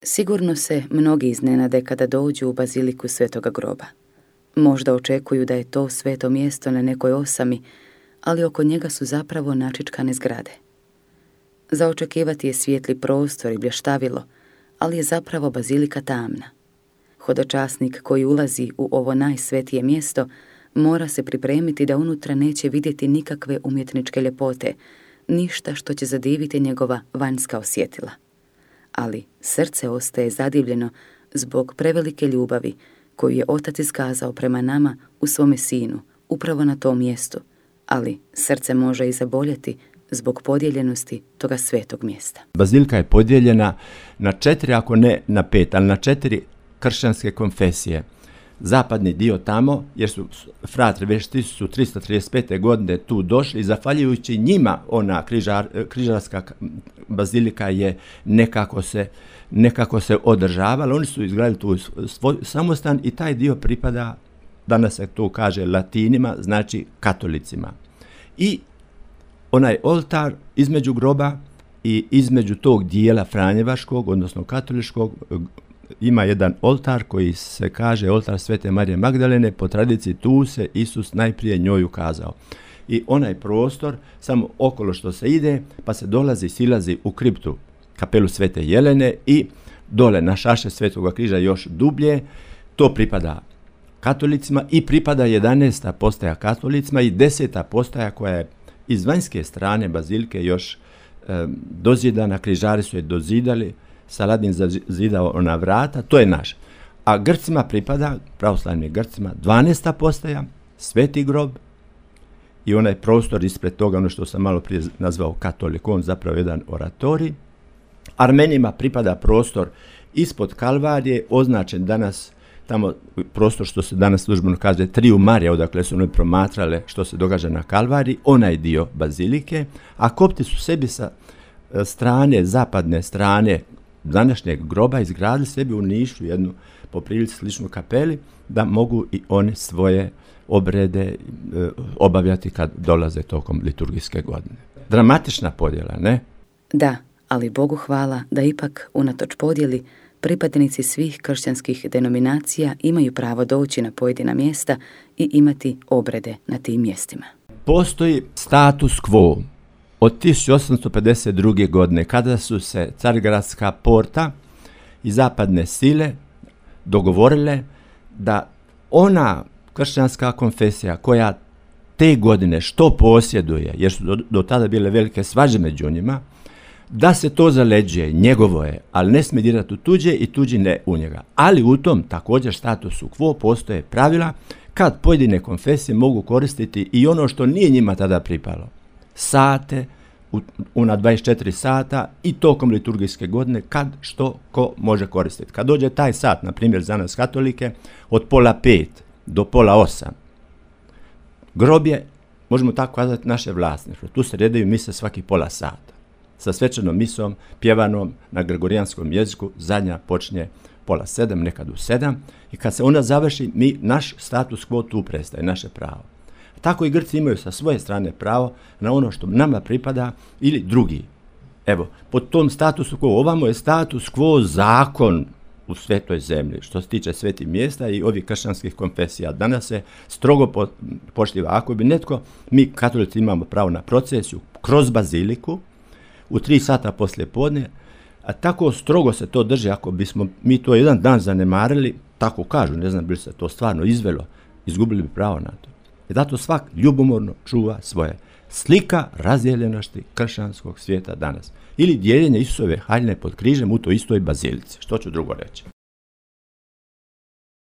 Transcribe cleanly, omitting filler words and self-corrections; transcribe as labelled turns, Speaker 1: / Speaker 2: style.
Speaker 1: Sigurno se mnogi iznenade kada dođu u baziliku Svetoga groba. Možda očekuju da je to sveto mjesto na nekoj osami, ali oko njega su zapravo načičkane zgrade. Za očekivati je svijetli prostor i blještavilo, ali je zapravo bazilika tamna. Hodočasnik koji ulazi u ovo najsvetije mjesto mora se pripremiti da unutra neće vidjeti nikakve umjetničke ljepote, ništa što će zadiviti njegova vanjska osjetila. Ali srce ostaje zadivljeno zbog prevelike ljubavi koju je Otac iskazao prema nama u svome Sinu, upravo na tom mjestu, ali srce može i zaboljeti zbog podijeljenosti toga svetog mjesta.
Speaker 2: Bazilika je podijeljena na 4, ako ne na 5, ali na 4 kršćanske konfesije. Zapadni dio tamo, jer su fratri već 1335. godine tu došli i zahvaljujući njima ona križarska bazilika je nekako se održavala. Oni su izgradili tu svoj samostan i taj dio pripada, danas se to kaže Latinima, znači katolicima. I onaj oltar između groba i između tog dijela franjevačkog, odnosno katoličkog, ima jedan oltar koji se kaže oltar Svete Marije Magdalene. Po tradiciji tu se Isus najprije njoj ukazao. I onaj prostor, samo okolo što se ide, pa se silazi u kriptu kapelu Svete Jelene i dole na šaše Svetoga križa još dublje. To pripada katolicima i pripada 11. postaja katolicima i 10. postaja koja je iz vanjske strane bazilike još dozidana, križari su je dozidali, Saladin zazidao ona vrata, to je naš. A Grcima pripada, pravoslavnim Grcima, 12. postaja, Sveti grob i onaj prostor ispred toga, ono što sam malo prije nazvao katolikom, zapravo jedan oratorij. Armenima pripada prostor ispod Kalvarije, označen danas tamo prostor što se danas službeno kaže Triju Marija, odakle su oni promatrale što se događa na Kalvariji, onaj dio bazilike, a kopti su sebi sa strane, zapadne strane današnjeg groba izgradili sebi u Nišu jednu po prilici sličnu kapeli da mogu i one svoje obrede obavljati kad dolaze tokom liturgijske godine. Dramatična podjela, ne?
Speaker 1: Da, ali Bogu hvala da ipak unatoč podjeli pripadnici svih kršćanskih denominacija imaju pravo doći na pojedina mjesta i imati obrede na tim mjestima.
Speaker 2: Postoji status quo od 1852. godine kada su se Carigradska porta i zapadne sile dogovorile da ona kršćanska konfesija koja te godine što posjeduje, jer su do tada bile velike svađe među njima, da se to zaleđuje, njegovo je, ali ne smije dirati u tuđe i tuđi ne u njega. Ali u tom također statusu quo postoje pravila kad pojedine konfesije mogu koristiti i ono što nije njima tada pripalo. Sate, na 24 sata i tokom liturgijske godine kad što ko može koristiti. Kad dođe taj sat, na primjer za nas katolike, od 4:30 do 7:30, grob je, možemo tako kazati, naše vlasništvo. Tu se redaju mise svaki pola sata. Sa svečanom misom, pjevanom na gregorijanskom jeziku, zadnja počinje 6:30, nekad u 7, i kad se ona završi, naš status quo tu prestaje, naše pravo. Tako i Grci imaju sa svoje strane pravo na ono što nama pripada ili drugi. Evo, pod tom statusu quo, ovamo je status quo zakon u svetoj zemlji, što se tiče svetih mjesta i ovih kršćanskih konfesija. Danas se strogo poštiva. Ako bi netko, mi katolici imamo pravo na procesiju kroz baziliku u 3 sata poslije podne, a tako strogo se to drži, ako bismo mi to jedan dan zanemarili, tako kažu, ne znam bi li se to stvarno izvelo, izgubili bi pravo na to. I zato svak ljubomorno čuva svoje. Slika razdijeljenosti kršćanskog svijeta danas. Ili dijeljenje Isusove haljine pod križem u toj istoj bazilici. Što ću drugo reći?